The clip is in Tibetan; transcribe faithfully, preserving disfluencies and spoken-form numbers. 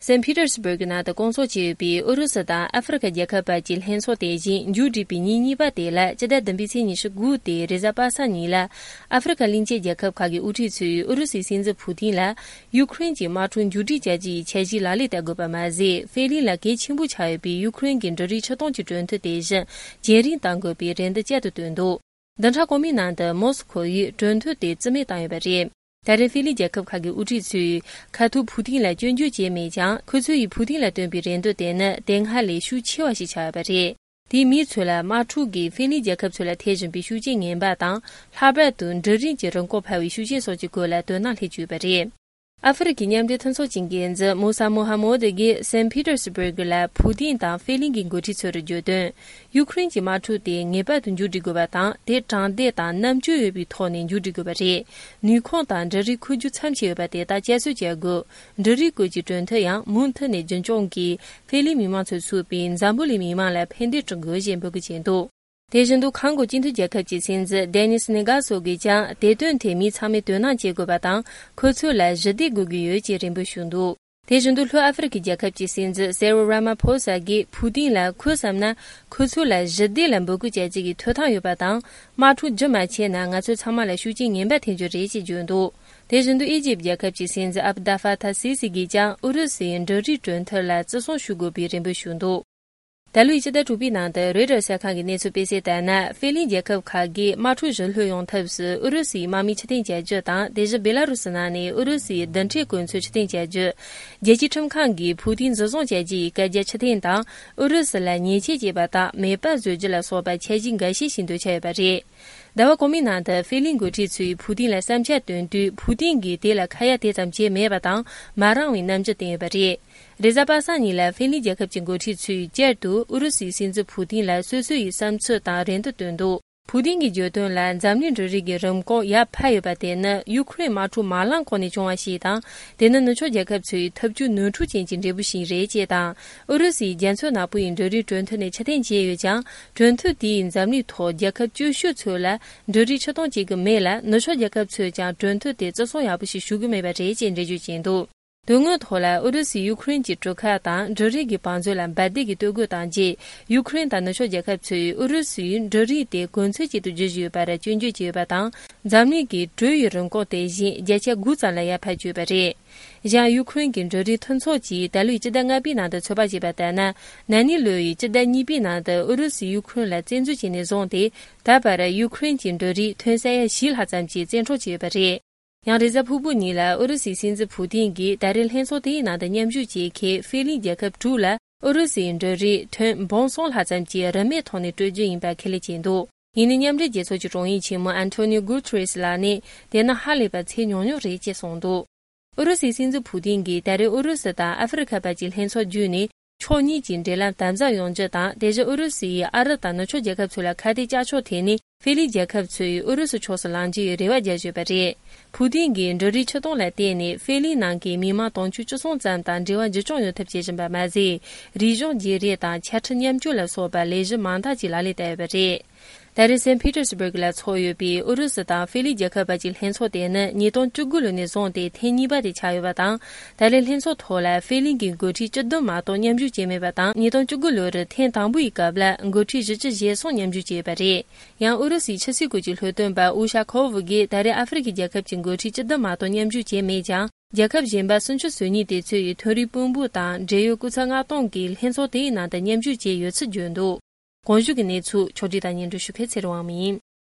སན་ཕི་ཏེར་སི་བྷར་གི་ནང་དུ་བསྐོང་ཚོགས་བྱས་ཡོད་པའི་ཨུ་རུ་སུ་དང་ཨ་ཧྥེ་རི་ཁ་རྒྱལ་ཁབ་བར་གྱི་ལྷན་ཚོགས་དེ་བཞིན་མཇུག་བསྒྲིལ་པའི་ཉིན་གཉིས་པ་དེ་ལ་སྤྱི་ཟླ་བདུན་པའི་ཚེས་ཉི་ཤུ་དགུ་སྟེ་རེས་གཟའ་པ་སངས་ཉིན་ལ་ཨ་ཧྥེ་རི་ཁ་གླིང་ཆེན་རྒྱལ་ཁབ་ཁག་གི་དབུ་ཁྲིད་ཚོས་ཨུ་རུ་སུའི་སྲིད་འཛིན་ཕུ་ཐིན་ལ་ཡུ་ཁུ་རེན་གྱི་དམག་འཁྲུག་མཇུག་སྒྲིལ་བྱ་རྒྱུ་ཡི་འཆར་གཞི་ལག་ལེན་བསྟར་དགོས་པ་མ་ཟད། ཧྥེ་གླིང་ལ་གལ་ཆེན་པོ་ཆགས་ཡོད་པའི་ཡུ་ཁུ་རེན་གྱི་འབྲུ་རིགས་ཕྱིར་གཏོང་གི་གྲོས་མཐུན་དེ་བཞིན་རྒྱུན་རིང་གཏང་དགོས་པའི་རེ་འདུན་བསྐྱར་དུ་བཏོན་འདུག་བདུན་ཕྲག་གོང་མའི་ནང་དུ་མོ་སི་ཁོ་ཡིས་གྲོས་མཐུན་དེ་རྩིས་མེད་བཏང་ཡོད་པ་རེད། ད་རེས་ཧྥེ་གླིང་རྒྱལ་ཁབ་ཁག་གི་དབུ་ཁྲིད་ཚོས་ཁ་ཐུག་ཕུ་ཐིན་ལ་སྐྱོན་བརྗོད་བྱས་མེད་ཀྱང་། ཁོ་ཚོ་ཡིས་ཕུ་ཐིན་ལ་བཏོན་པའི་རེ་འདུན་དེ་ནི་དེ་སྔ་ལས་ཤུགས་ཆེ་བ་ཞིག་ཆགས་ཡོད་པ་རེད། དེས་མི་ཚོ་ལ་དམག་འཁྲུག་གིས་ཧྥེ་གླིང་རྒྱལ་ཁབ་ཚོ་ལ་ཐེབས་བཞིན་པའི་ཤུགས་རྐྱེན་ངན་པ་དང་། ལྷག་པར་དུ་འབྲུ་རིགས་ཀྱི་རིན་གོང་འཕར་བའི་ཤུགས་རྐྱེན་སོགས་ཀྱི་སྐོར་ལ་དོ་སྣང་སླེབས་ཀྱི་ཡོད་པ་རེད། ཨ་ཧྥེ་རི་ཁའི་མཉམ་འབྲེལ་མཐུན་ཚོགས་ཀྱི་འགན་འཛིན་མུ་ས་མོ་ཧ་མོ་དི་གིས་སན་ཕི་ཏེར་སི་བྷར་གི་ལ་ཕུ་ཐིན་དང་ཧྥེ་གླིང་གི་འགོ་ཁྲིད་ཚོར་བརྗོད་དོན། ཡུ་ཁུ་རེན་གྱི་དམག་འཁྲུག་དེ་ངེས་པར་དུ་མཇུག་སྒྲིལ་དགོས་པ་དང་། དེ་དྲང་བདེན་དང་རྣམ་དཔྱོད་ཡོད་པའི་ཐོག་ནས་མཇུག་སྒྲིལ་དགོས་པ་རེད། ནུས་ཁུངས་དང་འབྲུ་རིགས་མཁོ་རྒྱུ་མཚམས་ཆད་ཡོད་པ་དེ་དག་བསྐྱར་གསོ་བྱ་དགོས། འབྲུ་རིགས་སྐོར་གྱི་གྲོས་མཐུན་ཡང་མུ་མཐུད་ནས་རྒྱུན་སྐྱོང་གིས་ཧྥེ་གླིང་མི་མང་ཚོས་ཚུགས་པའི་འཛམ་བུ་གླིང་མི་མང་ལ་ཕན་བདེ་བསྐྲུན་དགོས་ཞེས་འབོད་སྐུལ་བྱས་འདུག་དེ་བཞིན་དུ་ཁང་གོ་སྤྱི་མཐུན་རྒྱལ་ཁབ་ཀྱི་སྲིད་འཛིན་ཌེ་ནིས་ནི་གྷ་སོ་གིས་ཀྱང་དེ་དོན་ཐད་མི་ཚང་མས་དོ་སྣང་བྱེད་དགོས་པ་དང་། ཁོ་ཚོ་ལ་ཞི་བདེ་དགོས་ཀྱི་ཡོད་ཅེས་རེ་འབོད་ཞུས་འདུག་དེ་བཞིན་དུ་ལྷོ་ཨ་ཧྥེ་རི་ཁའི་རྒྱལ་ཁབ་ཀྱི་སྲིད་འཛིན་སེ་རོ་ར་མ་ཕོ་ས་གིས་ཕུ་ཏིན་ལ་ཁོས་བསམ་ན་ཁོ་ཚོ་ལ་ཞི་བདེ་ལ་འབོད་སྐུལ་བྱ་རྒྱུ་གི་ཐོབ་ཐང་ཡོད་པ་དང་། དམག་འཁྲུག་རྒྱུན་མ་ཆད་ན་ང་ཚོ་ཚང་མ་ལ་ཤུགས་རྐྱེན་ངན་པ་ཐེབས་རྒྱུ་རེད་ཅེས་བརྗོད་འདུག་དེ་བཞིན་དུ་ཨི་ཇིབ་རྒྱལ་ཁབ་ཀྱི་སྲིད་འཛིན་ཨབ་དཱ་ཧྥ་ཐ་སི་སི་གིས་ཀྱང་ཨུ་རུ་སུའི་འབྲུ་རིགས་གྲོས་མཐུན་ལ་བརྩི་སྲུང་ཞུ་དགོས་པའི་རེ་འབོད་ཞུས་འདུག་ད་ལོའི་སྤྱི་ཟླ་དྲུག་པའི་ནང་དུ་རོའི་ཊར་གསར་ཁང་གི་གནས་ཚུལ་སྤེལ་གསལ་ལྟར་ན། ཧྥེ་གླིང་རྒྱལ་ཁབ་ཁག་གིས་དམག་འཁྲུག་ཞི་ལྷོད་ཡོང་ཐབས་སུ་ཨུ་རུ་སུའི་དམག་མི་ཕྱིར་འཐེན་བྱ་རྒྱུ་དང་། དེ་བཞིན་སྦེ་ལ་རུ་སི་ནང་ནས་ཨུ་རུ་སུའི་རྡུལ་ཕྲན་གོ་མཚོན་ཕྱིར་འཐེན་བྱ་རྒྱུ། རྒྱལ་སྤྱིའི་ཁྲིམས་ཁང་གིས་ཕུ་ཐིན་འཛིན་བཟུང་བྱ་རྒྱུ་ཡི་བཀའ་རྒྱ་ཕྱིར་འཐེན་དང་། ཨུ་རུ་སུ་ལ་ཉེས་ཆད་བཅད་པ་དང་མེད་པར་བཟོ་རྒྱུ་ལ་སོགས་པ་འཆར་གཞི་འགའ་ཤས་ཤིག་འདོན་འཆར་ཡོད་པ་རེད། ཟླ་བ་གོང་མའི་ནང་དུ་ཧྥེ་གླིང་འགོ་ཁྲིད་ཚོས་ཕུ་ཐིན་ལ་བསམ་འཆར་བཏོན་དུས། ཕུ་ཐིན་གྱིས་དེ་ལ་ཁ་ཡ་དེ་ཙམ་བྱས་མེད་པ་དང་། མ་རངས་བའི་རྣམ་འགྱུར་བསྟན་ཡོད་པ་རེད། རེས་གཟའ་པ་སངས་ཉིན་ལ་ཧྥེ་གླིང་རྒྱལ་ཁབ་ཀྱི་འགོ་ཁྲིད་ཚོས་བསྐྱར་དུ་ཨུ་རུ་སུའི་སྲིད་འཛིན་ཕུ་ཐིན་ལ་སོ་སོ་ཡི་བསམ་ཚུལ་དང་རེ་འདུན་བཏོན་འདུག་ཕུ་ཐིན་གྱིས་བརྗོད་དོན་ལ། འཛམ་གླིང་འབྲུ་རིགས་ཀྱི་རིན་གོང་ཡར་འཕར་ཡོད་པ་དེ་ནི་ཡུ་ཁུ་རེན་དམག་འཁྲུག་མ་ལངས་གོང་ནས་བྱུང་བ་ཞིག་དང་། དེ་ནི་ནུབ་ཕྱོགས་རྒྱལ་ཁབ་ཚོའི་ཐབས་ཇུས་ནོར་འཁྲུལ་ཅན་གྱི་འབྲས་བུ་ཞིག་རེད་ཅེས་དང་། ཨུ་རུ་སུས་རྒྱ་མཚོ་ནག་པོ་ཡི་འབྲུ་རིགས་གྲོས་མཐུན་ནས་ཕྱིར་འཐེན་བྱས་ཡོད་ཀྱང་། གྲོས་མཐུན་དེས་འཛམ་གླིང་ཐོག་རྒྱལ་ཁབ་སྐྱོ་ཤོས་ཚོ་ལ་འབྲུ་རིགས་ཕྱིར་གཏོང་བྱེད་ཀྱི་མེད་ལ། ནུབ་ཕྱོགས་རྒྱལ་ཁབ་ཚོས་ཀྱང་གྲོས་མཐུན་དེ་བརྩི་སྲུང་ཡག་པོ་ཞིག་ཞུ་གི་མེད་པ་རེད་ཅེས་འགྲེལ་བརྗོད་བྱས་འདུག་དོན་དངོས་ཐོག་ལ་ཨུ་རུ་སུས་ཡུ་ཁུ་རེན་གྱི་གྲུ་ཁ་དང་འབྲུ་རིགས་ཀྱི་བང་མཛོད་ལ་འབར་མདེལ་གྱིས་གཏོར་རྒོལ་བཏང་རྗེས། ཡུ་ཁུ་རེན་དང་ནུབ་ཕྱོགས་རྒྱལ་ཁབ་ཚོས་ཨུ་རུ་སུས་འབྲུ་རིགས་དེ་གོ་མཚོན་ཅིག་ཏུ་བརྗོད་བཞིན་ཡོད་པར་སྐྱོན་བརྗོད་བྱས་ཡོད་པ་དང་། འཛམ་གླིང་གིས་འབྲུ་ཡི་རིན་གོང་དེ་བཞིན་བརྒྱ་ཆ་དགུ་ཙམ་ལ་ཡར་འཕར་བཅུག་པ་རེད། གཞན་ཡུ་ཁུ་རེན་གྱི་འབྲུ་རིགས་མཐུན་ཚོགས་ཀྱིས་ད་ལོའི་སྤྱི་ཟླ་ལྔ་པའི་ནང་དུ་ཚོད་དཔག་བྱས་པ་ལྟར་ན། ན་ནིང་ལོ་ཡི་སྤྱི་ཟླ་གཉིས་པའི་ནང་དུ་ཨུ་རུ་སུས་ཡུ་ཁུ་རེན་ལ་བཙན་འཛུལ་བྱས་ནས་བཟུང་སྟེ། ད་བར་ཡུ་ཁུ་རེན་གྱི་འབྲུ་རིགས་ཐོན་ས་ཡ་བཞི་ལྷག་ཙམ་གྱི་བཙན་འཕྲོག་བྱས་ཡོད་པ་རེད། ཡང་རེས་གཟའ་ཕུར་བུ་ཉིན་ལ་ཨུ་རུ་སུའི་སྲིད་འཛིན་ཕུ་ཐིན་གྱིས་ད་རེས་ལྷན་ཚོགས་དེའི་ནང་དུ་མཉམ་ཞུགས་བྱེད་མཁན་ཧྥེ་གླིང་རྒྱལ་ཁབ་དྲུག་ལ་ཨུ་རུ་སུའི་འབྲུ་རིགས་ཐོན་འབུམ་གསུམ་ལྷག་ཙམ་གྱི་རིན་མེད་ཐོག་ནས་སྤྲོད་རྒྱུ་ཡིན་པ་ཁས་ལེན་བྱས་འདུག་ཡིན་ནའི་མཉམ་འབྲེལ་རྒྱལ་ཚོགས་ཀྱི་དྲུང་ཡིག་ཆེན་མོ་ཨན་ཐོ་ནིའོ་གུ་ཐེ་རེས་ལགས་ནས། དེ་ནི་ཧ་ལས་པ་ཚད་ཉུང་ཉུང་རེད་ཅེས་གསུངས་འདུག་ཨུ་རུ་སུའི་སྲིད་འཛིན་ཕུ་ཐིན་གྱིས་ད་རེས་ཨུ་རུ་སུ་དང་ཨ་ཧྥེ་རི་ཁ་བར་གྱི་ལྷན་ཚོགས་བརྒྱུད་ནས། ཕྱོགས་གཉིས་ཀྱི་འབྲེལ་ལམ་དམ་ཟབ་ཡོང་རྒྱུ་དང་། དེ་བཞིན་ཨུ་རུ་སུ་ཡིས་ཨ་རི་དང་ནུབ་ཕྱོགས་རྒྱལ་ཁབ་ཚོ་ལ་ཁ་གཏད་བཅག་ཆོག་ཐད་ནས། ཧྥེ་གླིང་རྒྱལ་ཁབ་ཚོས་ཨུ་རུ་སུ་ཕྱོགས་སུ་ལངས་རྒྱུའི་རེ་བ་བརྒྱབ་ཡོད་པ་རེད། ཕུ་ཐིན་གྱིས་འབྲུ་རིགས་ཕྱིར་གཏོང་ལ་བརྟེན་ནས་ཧྥེ་གླིང་ནང་གི་མི་མང་དུང་ཕྱུར་བཅུ་གསུམ་ཙམ་དང་འབྲེལ་བ་འགྱུར་བཅོས་ཡོང་ཐབས་བྱེད་བཞིན་པ་མ་ཟད། རིག་གཞུང་བརྗེ་རེས་དང་། ཆ་འཕྲིན་མཉམ་སྤྱོད་ལ་སོགས་པ་ལས་གཞི་མང་དག་ཅིག་ལག་ལེན་བསྟར་ཡོད་པ་རེད། ད་རེས་སན་ཕི་ཏེར་སི་བྷར་གི་ལ་འཚོགས་ཡོད་པའི་ཨུ་རུ་སུ་དང་ཧྥེ་གླིང་རྒྱལ་ཁབ་བར་གྱི་ལྷན་ཚོགས་དེ་ནི་ཉིས་སྟོང་བཅུ་དགུ་ལོ་ནས་བཟུང་སྟེ་ཐེངས་གཉིས་པ་དེ་ཆགས་ཡོད་པ་དང་། ད་རེས་ལྷན་ཚོགས་ཐོག་ལ་ཧྥེ་གླིང་གི་འགོ་ཁྲིད་བཅུ་བདུན་མ་གཏོགས་མཉམ་ཞུགས་བྱས་མེད་པ་དང་། ཉིས་སྟོང་བཅུ་དགུ་ལོ་རུ་ཐེངས་དང་པོ་ཡི་སྐབས་ལ་འགོ་ཁྲིད་བཞི་བཅུ་ཞེ་གསུམ་མཉམ་ཞུགས་བྱས་ཡོད་པ་རེད། ཡང་ཨུ་རུ་སུའི་ཕྱི་སྲིད་སྐོར་གྱི་སློབ་སྟོན་པ་ཨུ་ཤ་ཁོ་ཝུ་གིས་ད་རེས་ཨ་ཧྥེ་རི་ཁའི་རྒྱལ་ཁབ་ཀྱི་འགོ་ཁྲིད་བཅུ་བདུན་མ་གཏོགས་མཉམ་ཞུགས་བྱས་མེད་ཀྱང་། རྒྱལ་ཁབ་གཞན་པ་སུམ་ཅུ་སོ་གཉིས་དེ་ཚོ་ཡི་ཐོན་རིགས་དཔོན་པོ་དང་འབྲེལ་ཡོད་སྐུ་ཚབ་མངགས་གཏོང་གིས་ལྷན་ཚོགས་དེའི་ནང་དུ་མཉམ་ཞུགས་བྱས་ཡོད་ཚུལ་བརྗོད་འདུག་གོང་ཞུས་ཀྱི་གནས་ཚུལ་ཕྱོགས་སྒྲིག་དང་སྙན་སྒྲོན་ཞུ་མཁན་ཚེ་རིང་དབང་མོ་ཡིན།